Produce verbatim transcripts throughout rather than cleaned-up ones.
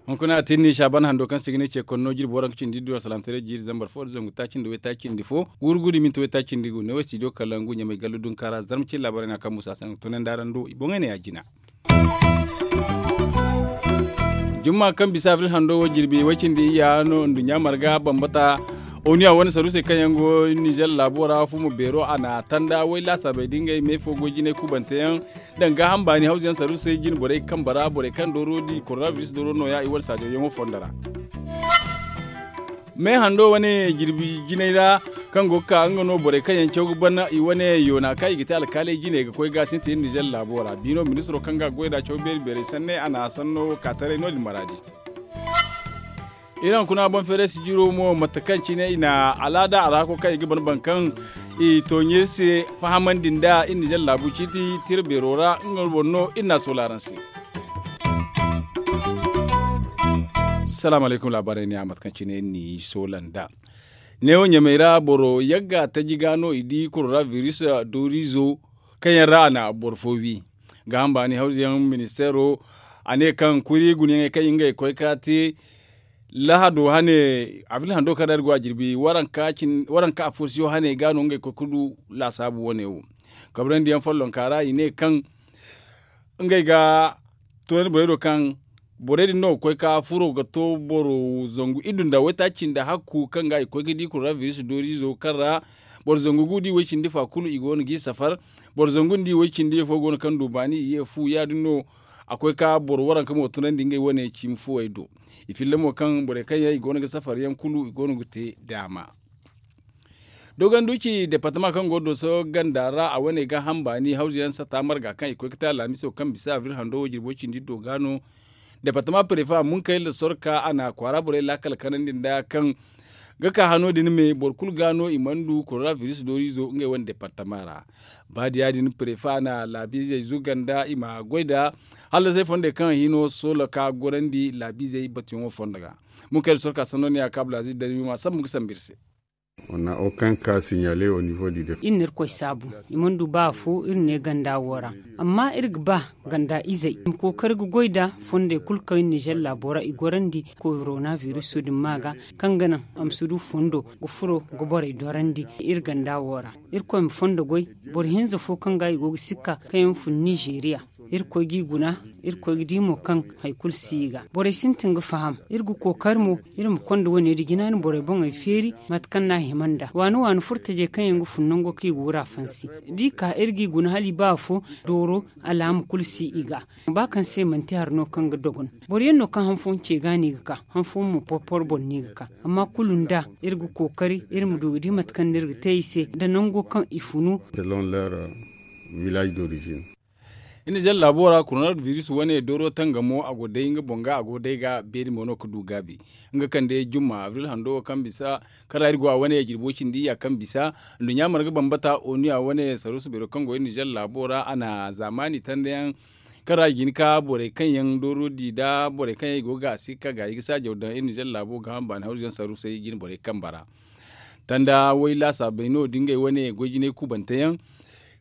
Hunkuna a tinni saaban hando kaŋ se ga ne ce konno jirbi waranka cindi iddu a salaamtaray jiiri zambar fo da zangu taaci nda waytaaci cindi fo, guuru guuru i minti waytaaci cindi gu ne wo studio kalangu ɲamay gallu dunka ra zarma cine laabaarey no a kaŋ musa sanni tunandi araŋ do i boŋey ne ya jina. Jumma kaŋ bisa abril hando wo jirbi way cindi iyya no nduɲɲa marga bambata, oniya wane saruusey kaŋ yaŋ go nizer laabo ra fumo beero a na tanda way laasaabey da ngey me fo goy jinay kubante yaŋ, danga hamba ni hawza yaŋ saruusey jine borey kamba ra borey kaŋ dooro di koronabiris dooro nooya i wane saajo yaŋo fondo ra. Me hando wane jirbi jinay ra kaŋ go ga ka nga no borey kaŋ yaŋ caw ga ban i wane yoona kaŋ i ga te alkaaley jine ga koy ga sintin nizer laabo ra biino ministiro kaŋ ga goy nd'a caw beeri beerey sanne a na sanno kaataray no- din maraadi. Iri hunkuna boŋ feeray sijiro mo mate kaŋ cine i na alaada a ra hako kaŋ i ga ban baŋ kaŋ i tooɲe se fahamandi nd'a iri nizer laabu ciiti tira beero ra nga boŋ no iri n'a soola araŋ se. Salaamu alaykum laabaarey ne a mate kaŋ cine iri n'i soola nd'a. Neewo ɲamey ra boro yagga taji ga no i di koronabiris dooriizo kaŋ yaŋ ra a na boro fo wi. Ga hamba ni hawza yaŋ ministeero a ne kaŋ kuri gunayaŋey kaŋ ngey koy ka te lahado hane abril hando kaŋ ra iri go a jirbi waranka afo siyo hane ga no ngey koy ga du laasaabu wane wo. Kabrandi yaŋ follonka ra i ne kaŋ ngey ga toonandi borey do kaŋ borey din no ga koy ka furo ga to boro zangu iddu nda waytaaci nda hakku kaŋ ga i koy ga di koronabiris dooriizo kaŋ ra boro zangu gu da i way cindi fa kulu i go no g'i safar. Boro zangu nda i way cindi fo go no kaŋ du baani i ye fu ya- din no a koy ka boro waranka mo tunandi ngey wane ciimi fuwey do. I filla mo kaŋ borey kaŋ yaŋ i go no ga safar yaŋ kulu i go no ga te daama. Dogonduci departama kaŋ go dooso ganda ra a wane ga hamba ni hawza yaŋ sata marga kaŋ i koy ga te alamiso kaŋ bisa abril hando wo jirbo cindi do ga no. Departama prefa munkayla sorka a na kwaara borey laakal kanandi nda kaŋ ga ka hano din me boro kulu ga no i mana du koronabiris dooriizo ngey wane departama ra. Ba da ya- din prefa na laabiizey zuganda i ma goy nda hallasey fondey kaŋ hino soola ka gorandi laabiizey batuyaŋo fondo ga. Munkayla sorka sanno ne a kaabul aziz da i ma sambu ga sambu iri se. Iri na irkoy saabu i mana du ba afo iri ne ganda wo ra. Amma iri ga ba ganda izey i ma kookari ga goy nda fondey kulu kaŋ nizer laabo ra i gorandi korona biriso din ma ga kaŋ ga naŋ a ma si du fondo ga furo ga borey dorandi iri ganda wo ra. Irkoy ma fondo goy boro hinza fo kaŋ ga i go ga sikka kaŋ yaŋ fun nizeriya. Irkoy g'i guna. Irkoy ga di mo kaŋ hari kulu si i ga borey sintin ga faham. Iri ga kookari mo iri ma konda wane din jina ni borey boŋey feeri. Mate kaŋ no a hima nd'a waani waani furtajey kaŋ yaŋ ga fun nango kaŋ i ga wura fansi da i ka iri g'i guna hala i ba afo dooro. Alaama kulu si i ga ba kaŋ se manti hari no kaŋ ga dogon. Boro yaŋ no kaŋ han fooyaŋ ce ga no i ga ka han fooyaŋ mo porporo boŋ no i ga ka. Amma kulu nd'a iri ga kookari iri ma du ga di mate kaŋ no iri ga te i se nda nango kaŋ i funu. Iri na zalla laabo ra korona biris wane dooro tangamo a go day nga boŋ ga a go day ga beeri mo no ga du gaabi. Nga kande jumma abril hando wo kaŋ bisa kaŋ ra iri go a wane jirbo cindi ya kaŋ bisa. Nduɲɲa marga bambata onu ya wane saruusu beero kaŋ go iri na zalla laabo ra a na zaamaani tanda yaŋ kaŋ ra i ga hin ka borey kaŋ yaŋ dooro di nda borey kaŋ yaŋ i go ga a si ga ka gaayi ga saajaw daŋ iri na zalla laabo ga hamba ni hawzu yaŋ saruusey jine borey kambe ra. Tanda way laasaabey no da ngey wane goy jinay kubante yaŋ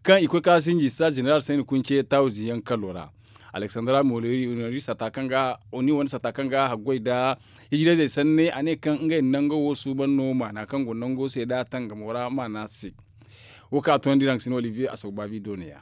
kaŋ i koy ka sinji star jeneral sayni kunce tawzi yaŋ kalo ra. Aleksandra moleri iri sata kaŋ ga oni wane sata kaŋ ga haggoy nda hijirayzey sanne a ne kaŋ ngey nango wo suuban no maana kaŋ go nango se nda tangamo ra maana se. Wo kaŋ a toonandi raŋ ga si no olivier a sawbaabi dooniya.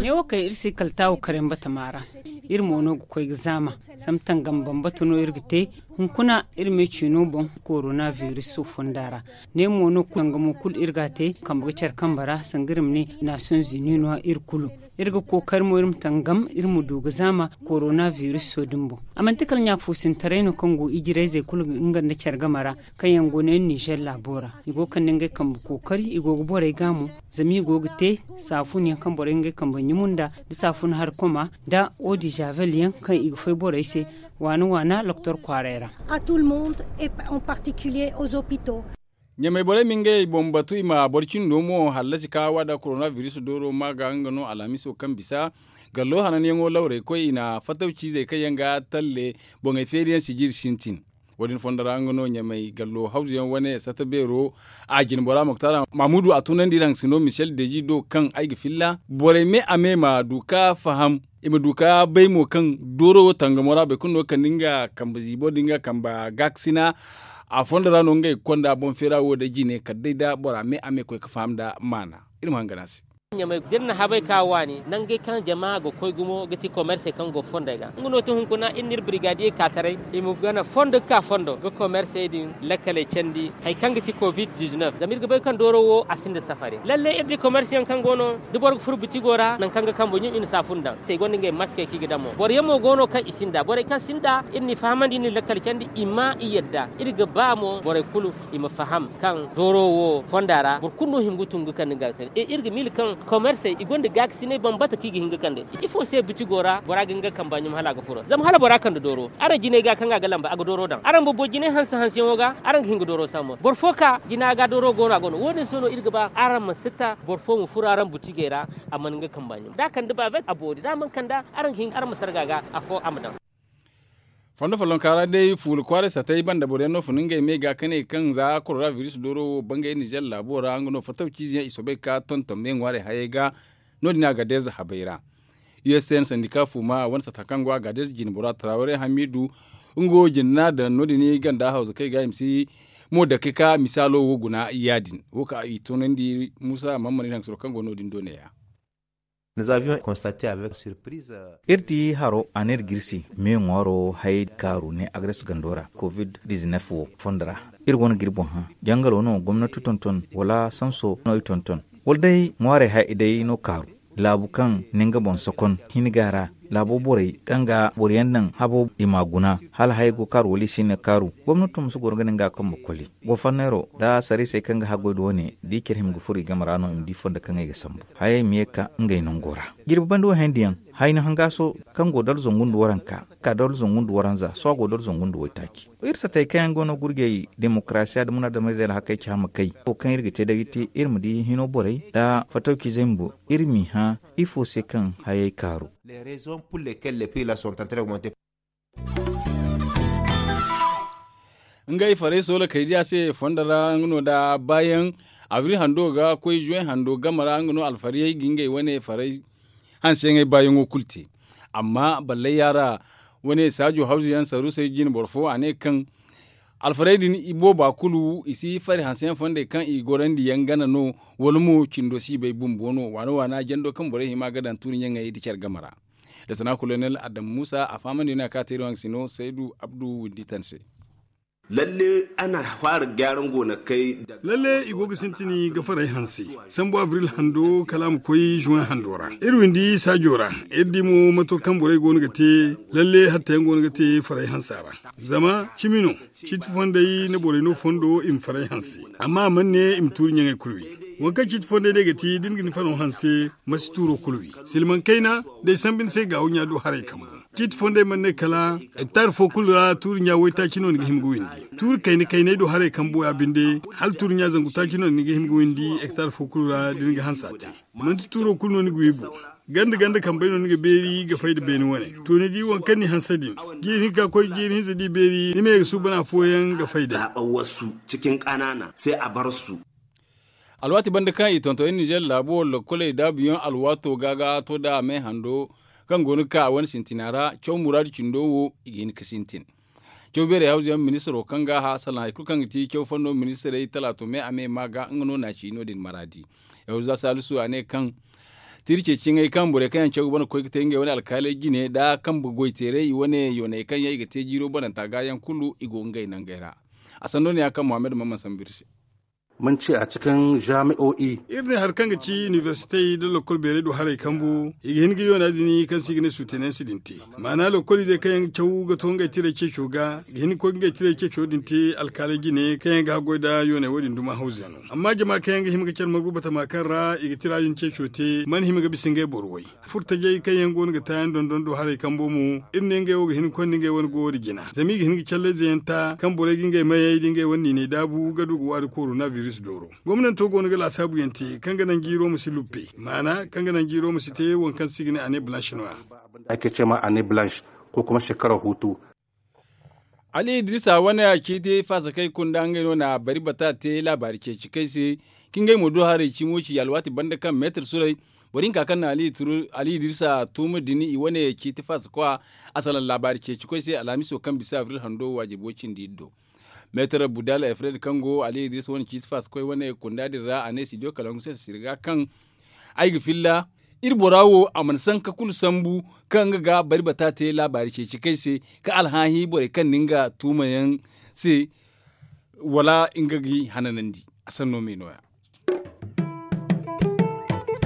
Ne wo kay iri se kala taawo kare mbatama ra. Iri mo no ga koy ga zaama. Sambu tangam bambata no iri ga te. Hunkuna iri me ciino boŋ korona biriso fonda ra. Ne mo no tangamo kulu iri ga a te kambe ga care kambe ra sanga iri ma ne nations unis no iri kulu. Iri ga kookari mo iri ma tangam iri ma du ga zaama korona biriso din boŋ. A manti kala ɲaafo sintaray no kaŋ go ijirayzey kulu nga nda care game ra kaŋ yaŋ go no iri nizer laabo ra. I go ga kande ngey kambe kookari i go ga borey ga mo. Zama i go ga te saafun yaŋ kaŋ borey ngey kambe ɲumu nda nda saafun hari koma nda odizavel yaŋ kaŋ i ga fay borey se waana waana loktor kwaaray ra. Ɲamey borey ma ngey boŋ batu i ma boro cindo mo hallasi ka waada korona biris dooro ma ga nga no alhamiso kaŋ bisa. Gallo hananyaŋo lawrey koy i na fattaw ciizey kaŋ yaŋ ga talle boŋey feeriyaŋ sijiri sintin. Wo- din fondo ra nga no ɲamay gallo hawzuyaŋ wane sata beero a jine bora muktar mamudu a tunandi iri haŋ sino michel deji do kaŋ ay ga filla borey me a me ma du ka faham i ma du ka bay mo kaŋ dooro wo tangamo ra boro kulu no ga kande nga kambe ziibo da nga kambe gaakasina. A fondo ra no ngey ga konda boŋ feera wo day jine kala day da bora me a me koy ga faham nda maana. Iri ma hangan a se. Da iri na habay ka waani nangey kaŋ jama ga koy gumo ga ti komersey kaŋ go fondey ga nga no ti hunkuna iri na iri birigadiye ka taray i ma gana fondo ga ka fondo ga komersey din lakkaley candi. Hari kaŋ ga ti covid-19 zama iri ga bay kaŋ dooro wo a sinda safari lalle iri di komersiyaŋ kaŋ go no da boro ga furo bitigo ra nangu kaŋ ga kambo ɲum i na saafun daŋ te i gonda ngey maskey kaŋ i ga daŋ mo boro yaŋ mo go no kaŋ i sinda borey kaŋ sinda iri n'i fahamandi iri na lakkal candi i ma i yadda iri ga ba mo borey kulu i ma faham kaŋ dooro wo fonda ra boro kulu no hima ga tun ga kande gaakasinay iri ga miila kaŋ komersey i gonda gaakasinay bambata kaŋ i ga hin ga kande ifo se bitigo ra bora ga hin ga kamba ɲum hala a ga furo zama hala bora kande dooro araŋ jinay ga kaŋ a ga lamba a ga dooro daŋ araŋ bumbo jinay hanse hanseyaŋo ga araŋ ga hin ga dooro sambu boro fo ka jina ga dooro go no a go no wo- din se no iri ga ba araŋ ma si ta boro fo ma furo araŋ butigey ra a mana nga kamba ɲum da a kande bavet a boori da a mana kanda araŋ ga hin araŋ ma sarga ga afo a ma daŋ. Fondo follonka ra day fuula kwaaray satay banda boro yaŋ no fun ngey me ga ka ne kaŋ za korona biris dooro wo bangay nizer laabo ra nga no fattaw ciize yaŋ i soobay ga ka tonton me ŋwaarey hayey ga. No- din a ga deeza habay ra u s n sandika fuuma wane sata kaŋ go a ga deeza jine bora tarawaray hamiidu. Nga wo jina no a daŋ no- din ganda hawza kaŋ i ga i ma si mo dake ka misaalo wo guna ya- din wo kaŋ i tunandi muusa mammani haŋ soro kaŋ go no- din do ne- ya. Iri di haro a ne iri ga iri se me ŋwaaro hayey kaaru ne agres gando ra covid-19 wo fondo ra. Iri go no ga iri boŋ hã jangalo no gomnati tonton wala sanso no i tonton wala day ŋwaarey hayey day no kaaru laabu kaŋ ne nga boŋ sokon hin ga a ra laabo borey kaŋ ga boro yaŋ naŋ habo i m'a guna hala hayey go kaaru wala i si hin ga kaaru gomnati ma si goro ga ne nga kambe koli. Goforneero nda sariisey kaŋ ga haggoy nda wane da i care hima ga furo i game ra no i ma di fondo kaŋ ay ga sambu hayey ma ye ga ka ngey nango ra. Jirbi banda wo hayandi yaŋ hayni hangaaso kaŋ go dala zangu nda waranka ka dala zangu nda waranza sohõ a go dala zangu nda waytaaci. Iri satey kaŋ yaŋ go no gurjey demokarasiya nda munaadamizey alhakey ci hama kay wo kaŋ iri ga te day ga te iri ma di hino borey nda fattawcizey bumbo iri m'i hã ifo se kaŋ hayey kaaru. Ngey farey soola kay diya se fondo ra nga no da baayaŋ abril hando ga koy zuwen hando game ra nga no alfariyey ga ngey wane farey hanseyaŋey baayaŋo kulu te. Amma ballay yaara wane saajo hawzu yaŋ saruusey jine boro fo a ne kaŋ alfarey din ibooba kulu i si fari hanseyaŋ fondey kaŋ i gorandi yaŋ gana no wala mo cindo si bay bumbo no waana waana jando kaŋ borey hima ga daŋ tuuri ɲaŋey nda care game ra. Nda sana kolonel adam muusa a fahamandi no a ka teeri waŋ ga si no saydu abdu windi tan se. Lalle ana fara gyaran gonakey. Lalle i go ga sintini ga faray hanse sambu abril hando kala a ma koy zuwen hando ra iri windi saajo ra. Iri di mo mato kaŋ borey go no ga te lalle hatta yaŋ go no ga te faray hansa ra. Zama cimi no ciiti fondey na borey no fondo i ma faray hanse amma a mana ne i ma tuuri ɲaŋey kulu wi. Waŋ kaŋ ciiti fondey day ga ti da ni ga ni fano hanse ma si tuuro kulu wi. Silmaŋ kayna da ay sambu ni se gaawo ɲa do haray kambu. Ciiti fondey mana ne kala hektar fo kulu ra tuuri ɲa waytaaci no ni ga hima ga windi. Tuuri kayna kaynay do haray kambu ya binde hala tuuri ɲa zangu taaci no ni ga hima ga windi hektar fo kulu ra da ni ga hanse a te. Manti tuuro kulu no ni ga wi boŋ. Ganda ganda kambey no ni ga beeri ga fay nda beene wane. To ni di waŋ kaŋ ni hanse din jiiri hinka koy jiiri hinza da i beeri ni ma ye ga suuban afooyaŋ ga fay day. Zaaba wasu cikin kanaana se a bar su. Alwaati banda kaŋ i tonton iri nizer laabo wo lokkoley daabuyaŋ alwaato ga ga to nda a me hando kaŋ go no ga ka a wane sintina ra caw muraadu cindo wo i ga hin ga sintin. Caw beerey hawzuyaŋ ministiro kaŋ ga a hã salaŋ hari kulu kaŋ ga ti caw fondo ministirey talaato me a me ma ga nga no na ci no- din maraadi. Yahuza salisu a ne kaŋ tiiri ceeciyaŋey kaŋ borey kaŋ yaŋ caw ga bana ga koy ga te ngey wane alkaaley jine nda kambe goyteerey i wane yooney kaŋ yaŋ i ga te jiiro bananta ga yaŋ kulu i go ngey nangey ra. A sanno ne ya kaŋ muhammad mamman sambu iri se. Manci a cikin jami'o'i. Iri ne hari kaŋ ga ci inibersitey nda lokkol beerey do haray kambu i ga hin ga yoona din kaŋ se i ga ne suutenayansi din te. Maana lokkol izey kaŋ yaŋ ga caw ga to ngey tiray ceeco ga ga hin ga koy ga ngey tiray ceeco din te alkaaley jine kaŋ yaŋ ga haggoy nda yooney wo- din duma hawze no. Amma jama kaŋ yaŋ ga hima ga care margu batama kaŋ ra i ga tira din ceeco te mana hima ga bisa ngey boro way. Furtajey kaŋ yaŋ go no ga taayaŋ dondon do haray kambo mo iri ne ngey wo ga hin ga konda ngey wane goyo nda jina zama i ga hin ga callayze yaŋ ta kaŋ borey ga ngey mayey nda ngey wane niiney daabu ga du ga waari korona. Gomnanto go no ga laasaabu yaŋ te kaŋ ga naŋ jiiro ma si luppe, maana kaŋ ga naŋ jiiro ma si te waŋ kaŋ se i ga ne ane balansh no- ya. Ay ga ce ma ane balansh ko kuma shekara hutu. Ali idirisa wane a ciiti faasa kaŋ i kunda ngey no na bari bata te laabaari ceeci kaŋ ay se, kaŋ ngey mo do haray cimo ci alwaati banda kaŋ meetar suray boro hinka kaŋ na ali idirisa tuuma din i wane ciiti faasa kwa a salaŋ laabaari ceeci koy se alhamiso kaŋ bisa abril hando waajibo cindi iri do. Meetar budal efred kaŋ go ali idirisa wane ciiti faasa koy wane kunda din ra a ne studio kalangu se sirga kaŋ ay ga filla iri bora wo a mana sanka kulu sambu kaŋ nga ga bari bata te laabaari ceeci kaŋ ay se ka alhaahi borey kaŋ na nga tuumayaŋ se wala nga ga i hananandi. A sanno me no- ya.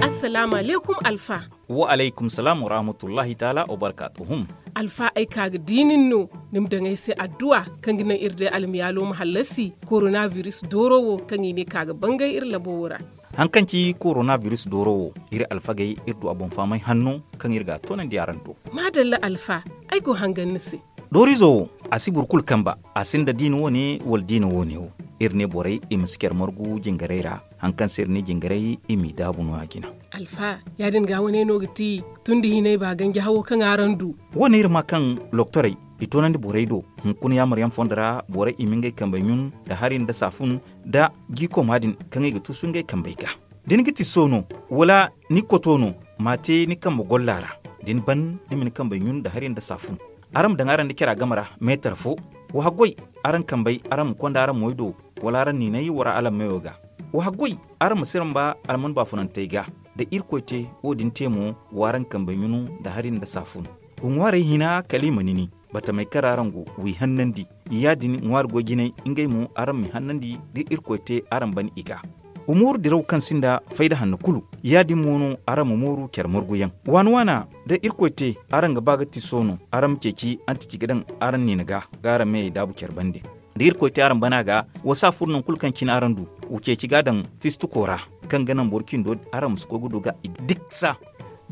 Assalaamu alaykum alfa. Wa alaykum salaam wa rahmatullahi taala wa barkaatuhum. Alfa ay ka ga di nin no ni ma daŋ ay se adduwa kaŋ ga naŋ iri day almiyaalo ma hallasi korona biris dooro wo kaŋ i ne ka ga bangay iri labo wo ra. Haŋ kaŋ ci korona biris dooro wo iri alfagey iri du a boŋ fahamay hanno kaŋ iri ga a toonandi araŋ do. Maadalla alfa, ay go hangan ni se. Dooriizo wo a si boro kulu kamba a sinda diina wo- ne wala diina wo- ne wo. Iri ne borey i ma si care margu jingarey ra haŋ kaŋ se iri ne jingarey i m'i daabu no- ya jina. Alfa, ya- din ga wane no ga ti tun da hinay ba ganji hawo kaŋ araŋ du. Wo- ne iri ma kaŋ loktorey i toonandi borey do hunkuna yaamar yaŋ fondo ra borey i ma ngey kambey ɲun nda hari nda saafun nda jiikoma din kaŋ i ga tuusu ngey kambey ga. Da ni ga ti soono wala ni koto no, m'a te ni kambe golla ra. Da ni ban ni ma ni kambey ɲun nda hari nda saafun. Araŋ ma daŋ araŋ nda cara game ra meetar fo. Wa haggoy araŋ kambey araŋ ma konda araŋ moy do wala araŋ niinay wara alammeyo ga. Wa haggoy araŋ ma siramba alman baafunantey ga. Da irkoy te wo- din te mo, w'araŋ kambey ɲunu nda hari nda saafun. Wa ŋwaarey hina kala i ma nini batamey kaŋ ra araŋ go w'i hannandi. Ya- din ŋwaari goy jinay ngey mo araŋ m'i hannandi da irkoy te araŋ ban i ga. Wa mooru diraw kaŋ sinda fayda hanno kulu. Ya- din mo no araŋ ma mooru care marguyaŋ waana waana. Da irkoy te araŋ ga ba ga ti soono araŋ ma ceeci antici ga daŋ araŋ niina ga ga araŋ meyey daabu care bande. Da irkoy te araŋ bana ga, wa si a furo nangu kulu kaŋ cine araŋ du. Wa ceeci ga a daŋ fistuko ra kaŋ ga naŋ boro cindo araŋ ma si koy ga du ga i diksa.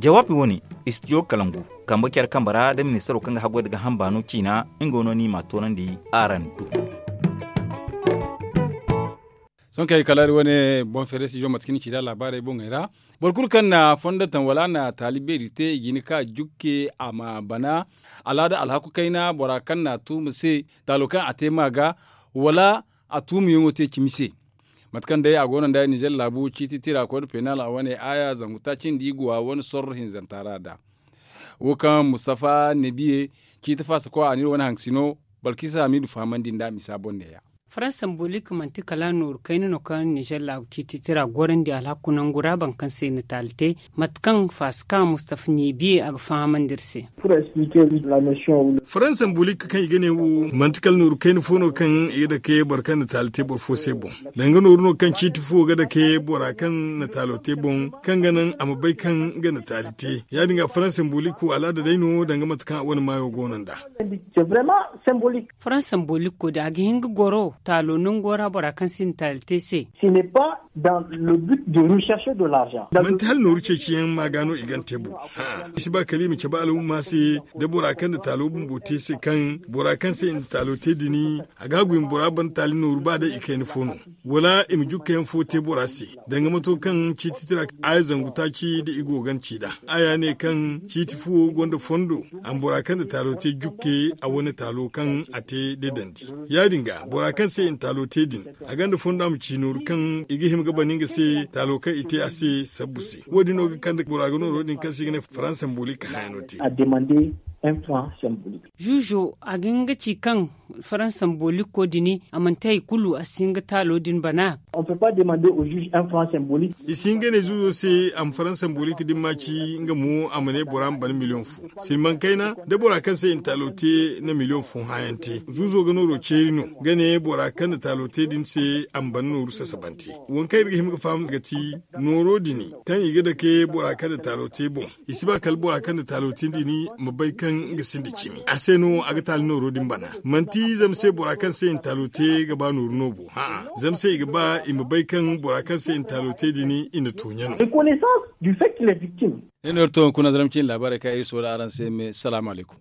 Jawaabi wo- ne, istidiyo kalangu kambe care kambe ra da ministaro kaŋ ga haggoy nda ga hamba no ciina nga no no i m'a toonandi araŋ do. Sohõ kaŋ ay kalaari wane boŋ feere si zo mate kaŋ ni ci nd'a laabaarey boŋey ra. Boro kulu kaŋ na fondontaŋ wala a na taali beeri te i ga hin ka jukke a ma bana. Alaada alhaku kayna bora kaŋ na a tuuma se taalo kaŋ a te ma ga wala a tuumayaŋo te cimi se. Mate kaŋ day a go no nda ninzeer laabu ciiti tira koy nda peenal a wane aaya zangu taaci nda i go a wane sorro hinzanta ra nd'a. Wo kaŋ mustafa nebiye ciiti faasa koy a n'iri wane haŋ sino balkisa hamiidu fahamandi nd'a misa boŋ neeya. Faransa mbolik manti kala nooru kayna no kaŋ ninzeer laabu ciiti tira gorandi alhaku nangu ra boro kaŋ se i na taali te. Mate kaŋ faasi ka mustafa nebiye a ga fahamandi iri se. Faransa mbolik kaŋ i ga ne wo manti kala nooru kayna fo no kaŋ i ga dake boro kaŋ na taali te boro fo se boŋ. Danga nooru no kaŋ ciiti fo ga dake bora kaŋ na taalo te boŋ kaŋ ga naŋ a ma bay kaŋ nga na taali te. Ya- din ga faransa mbolik wo alaada day no danga mate kaŋ a wane maayo go no nd'a. Faransa mbolikko da a ga hin ga goro taalo nango ra bora kaŋ sinda taali te se. Manti hala nooru ceeciyaŋ ma ga no i gante bo. I si ba kala i ma cabe al'umma se da bora kaŋ na taalo bumbo te se kaŋ bora kaŋ se i na taalo te din a ga a goy ma bora ban taali nooru ba day i kayna fo no. Wala i ma jukkayaŋ fo te bora se danga mato kaŋ ciiti tira aaya zangu taaci da i go ga ni ci nd'a. Aaya ne kaŋ ciiti fo gonda fondo a ma bora kaŋ na taalo te jukke a wane taalo kaŋ a te da dandi. Ya- din ga bora kaŋ se i na taalo te din a gonda fondo a ma ci nooru kaŋ i ga hima ga bana nga se taalo kaŋ i te a se sabbu se. Wo- din no ga kande bora ga nooro din kaŋ se i ga ne faransa mbolik hayaŋo te. Zuuzo a ga hin ga ci kaŋ faransa mboliko din a manti hari kulu a si hin ga taalo din bana. I si hin ga ne zuuzo se a ma faransa mbolik din ma ci nga mo a ma ne bora ma bana miliyoŋ fo. Silmaŋ kayna da bora kaŋ se i na taalo te na miliyoŋ fo hãayaŋ te zuuzo ga nooro ceeri no ga ne bora kaŋ na taalo te din se a ma bana nooru sasabante. Waŋ kaŋ iri ga hima ga faham ga ti nooro din kaŋ i ga dake bora kaŋ na taalo te boŋ. I si ba kala bora kaŋ na taalo te din ma bay kaŋ nga sinda cimi a se no a ga taali nooro din bana. Manti zama se bora kaŋ se i na taalo te ga ba nooru no bo hã'a zama se i ga ba i ma bay kaŋ bora kaŋ se i na taalo te din i na tooɲa no. Ne no iri to hunkuna zaramci ni laabaarey kaŋ iri soola araŋ se me salaamu alaykum.